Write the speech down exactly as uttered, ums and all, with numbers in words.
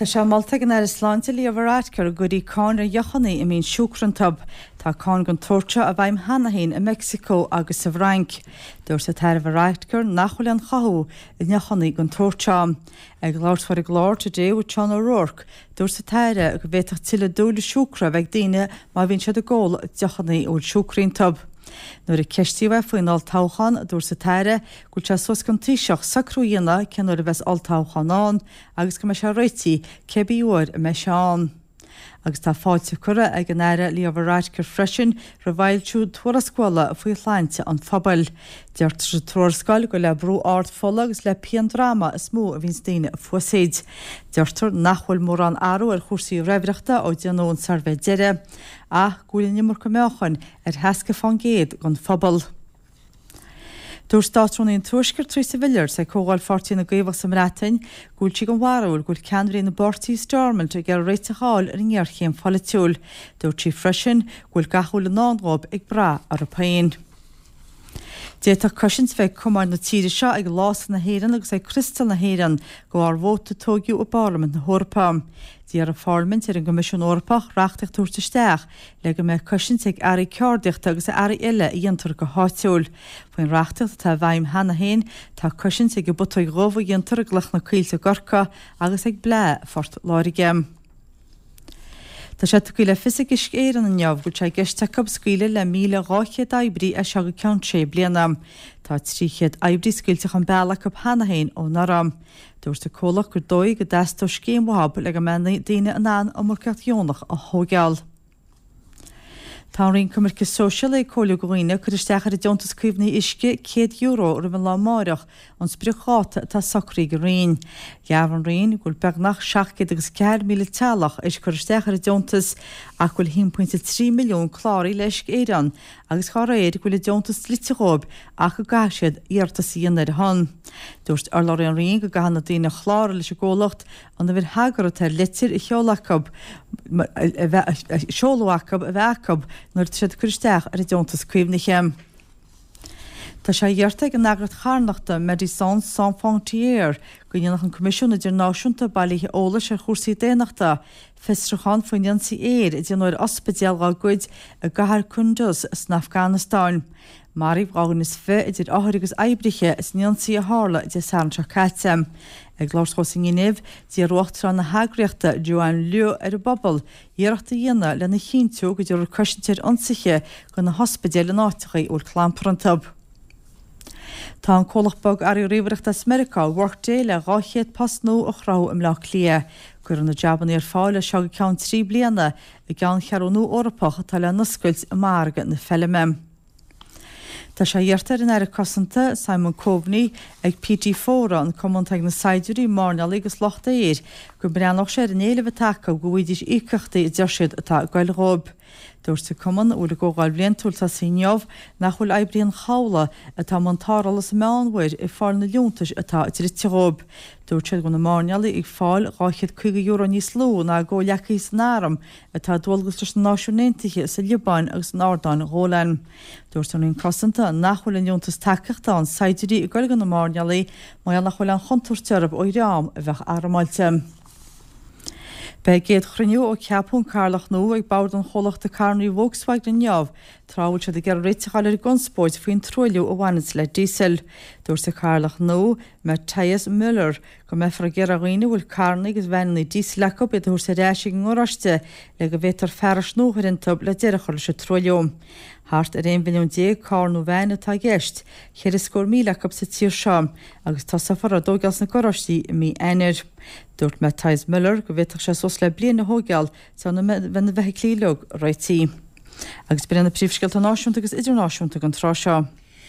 Tá sé molta ag an Aire Sláinte Leo Varadkar go gcuirfí cáin ar dheochanna a mbíonn siúcra iontu. Tá cáin den tsórt seo i bhfeidhm cheana féin i Meicsiceo agus sa bhFrainc. Dúirt an tAire Varadkar nach bhfuil aon chothú i ndeochanna den tsórt seo. Ag labhairt ar an gclár Today with Sean O'Rourke, dúirt an tAire go bhféadfadh tuilleadh dúile siúcra a bheith ag daoine má bhíonn siad ag ól deochanna a bhfuil siúcra iontu. Nuair a ceistíodh é faoin olltoghchán, dúirt an tAire go bhfuil sé suas don Taoiseach socrú a dhéanamh cén uair a bheas olltoghchán ann agus go mbeidh sé réitithe cibé uair a mbeidh sé ann. Agus tá fáilte curtha ag an Aire Leo Varadkar freisin roimh fhoilsiú tuarascála faoi shláinte an phobail. Deirtear sa tuarascáil gur le brú ard fola agus le pian droma is mó a bhíonns daoine fuasaoid. Deirtear nach bhfuil mórán athrú ar chúrsaí raimhreachta ó déanadh an suirbhé deiridh, ach go bhfuil an iomarca meáchain ar sheasca faoin gcéad den phobal. Dúirt Státrúnaí an Tuaiscirt Theresa Villiers ag Comhdháil Pháirtí na gCaomhach sa mBreatain go bhfuil sí den bharúil go bhfuil ceannairí na bpáirtí i Stormont ag iarraidh réiteach a fháil ar an ngéarchéim pholaitiúil. Dúirt sí freisin go bhfuil gach a bhfuil i ndán dóibh ag brath orthu féin. D'fhéadfadh cosaint bheith ag cumainn na tíre seo, ag Lása na hÉireann agus ag Criostal na hÉireann de bharr vóta a toghadh i bParlaimint na hEorpa. D'iarr an Pharlaimint ar an gCoimisiún Eorpach reachtaíocht a thabhairt isteach le go mbeidh cosaint ag earraí ceardaíochta agus earraí eile a dhéantar go háitiúil. Faoin reachtaíocht atá i bhfeidhm cheana féin, tá cosaint ag an bputóig dhubh a dhéantar i gCloich na Coillte i gCorcaigh agus ag Bláth Phort Láirge. Tá sé tugtha le fios ag Uisce Éireann inniu go bhfuil sé i gceist acu scaoileadh le míle dhá chéad oibrí as seo go ceann sé bliana. Tá trí chéad oibrí scaoilte chun bealaigh acu cheana féin ó anuraidh. Dúirt an comhlacht gur dóigh go dteastódh scéim uathu le go mbeidh daoine in ann iomarcaíocht dheonach a thóigeáil. Tá an Roinn Coimirce Sóisialaí ag comhairliú do dhaoine cur isteach ar an Deontas Caomhnaithe Uisce céad euro roimh an lá amárach, an spriocdháta atá socraithe ag an Roinn. Dhearbhaigh an Roinn go bhfuil beagnach seacht gcéad agus ceathair míle teaghlach éis cur isteach ar an deontas ach go bhfuil a haon pointe trí milliún cláraithe le Uisce Éireann agus dá réir go bhfuil an deontas dlite dhóibh ach go gcaithfidh siad iarratas a dhéanamh ar a shon. Dúirt urlabhraí an Roinn go gcaithfidh na daoine a chláraigh leis an gcomhlacht an uimhir thagartha atá ar litir a sheoladh acu a bheith a seoladh acu a bheith acu nuair atá siad ag cur isteach ar an deontas caomhnaithe. Tá sé iarrta ag an eagraíocht charthanachta Médecins Sans Frontières go ndéanfadh an Coimisiún Idirnáisiúnta Bailithe Eolais ar Chúrsaí Daonnachta fiosrúchán faoin ionsaí aeir a déanadh ar ospidéal dá gcuid i gcathair Kunduz san Afganastáin. Maraíodh dhá dhuine is fiche, idir othair agus oibrithe, san ionsaí a tharla Dé Sathairn seo caite. Ag labhairt dó sa nGinéiv, d'iarr Uachtarán na heagraíochta, Joanne Liu, ar an bpobal iarracht a dhéanamh lena chinntiú go dtabharfar cosaint ar ionsaithe do na hospidéil in áiteacha a bhfuil clampar iontu. Tá an comhlacht bogearraí ríomhaireachta as Meiriceá, Workday, le dhá chéad post nua a chruthú i mBleá Cliath. Cuirfear na jabanna ar fáil as seo go ceann trí bliana i gceanncheathrú nua Eorpach atá le n-oscailt i margadh na Feilme. Tá sé iarrta ar an Aire Cosanta, Simon Coveney, ag PT Fóra, an cumann atá ag na saighdiúirí, mairnéalaigh agus lucht aeir, go mbreathnódh sé ar an éileamh atá acu go bhfaighidís íocaíochtaí a deir siad atá ag goil dhóibh. Dúirt an cumann, a bhfuil a gcomhdháil bhliantúil tosaithe inniu, nach bhfuil oibrithe an chabhlaigh atá i mbun tarrthála sa Meánmhuir ag fáil na liúntais atá dlite dhóibh. Dúirt siad go bhfuil na mairnéalaigh ag fáil dhá chéad caoga euro níos lú ná a gcomhghleacaithe san arm atá ar dualgas leis na Náisiúin Aontaithe sa Liobáin agus in Ardáin Ghólan. Dúirt an Roinn Cosanta nach bhfuil an liúntas tacaíochta do shaighdiúirí ag goil do na mairnéalaigh mar gheall nach bhfuil aon chontúirt orthu ó dhream a bheadh armáilte. Beidh a gcéad chruinniú ó ceapadh an Cathaoirleach nua ag bord an chomhlachta carranna Volkswagen inniu, tráth a bhfuil siad ag iarraidh réiteach a fháil ar an gconspóid faoin truailliú a bhaineanns le díosal. Dúirt an Cathaoirleach nua, Matthias Müller, go mbeifear ag iarraidh ar dhaoine a bhfuil carranna agus veaineanna díosail acu iad a thabhairt ar ais ag an ngaráiste le go bhféadfar fearais nua a chur iontu le deireadh a chur leis an truailliú. Thart ar aon mhilliún déag carr nó veain atá i gceist, ceithre scór míle acu sa tír seo, agus tosófar á dtóigeáil sna garáistí i mí Eanáir. Dúirt Matthias Müller go bhféadfadh sé suas le bliain a thóigeáil sula mbeidh na feithiclí uilig réitithe. Agus b'in iad na príomhscéalta náisiúnta agus idirnáisiúnta don tráth seo.